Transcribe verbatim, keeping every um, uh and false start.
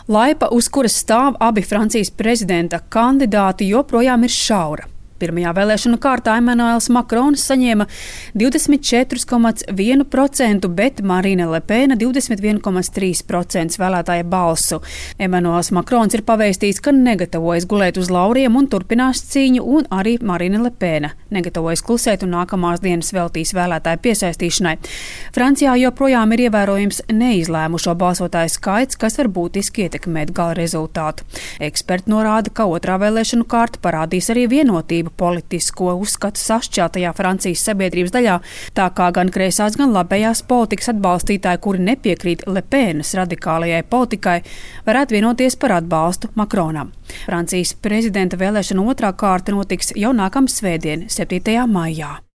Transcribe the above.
Laipa, uz kuras stāv abi Francijas prezidenta kandidāti, joprojām ir šaura. Pirmajā vēlēšanu kārtā Emmanuels Macrons saņēma divdesmit četri komats vienu procentu, bet Marine Le Pen divdesmit viens komats trīs procentu vēlētāja balsu. Emmanuels Macrons ir pavēstījis, ka negatavojas gulēt uz lauriem un turpinās cīņu, un arī Marine Le Pen negatavojas klusēt un nākamās dienas veltīs vēlētāju piesaistīšanai. Francijā joprojām ir ievērojams neizlēmušo balsotāju skaits, kas var būtiski ietekmēt gala rezultātu. Eksperti norāda, ka otrā vēlēšanu kārta parādīs arī vienotību politisko uzskatu sašķeltajā Francijas sabiedrības daļā, tā kā gan kreisās, gan labējās politikas atbalstītāji, kuri nepiekrīt Le Penas radikālajai politikai, varētu vienoties par atbalstu Macronam. Francijas prezidenta vēlēšana otrā kārta notiks jau nākamā svētdien, septītajā maijā.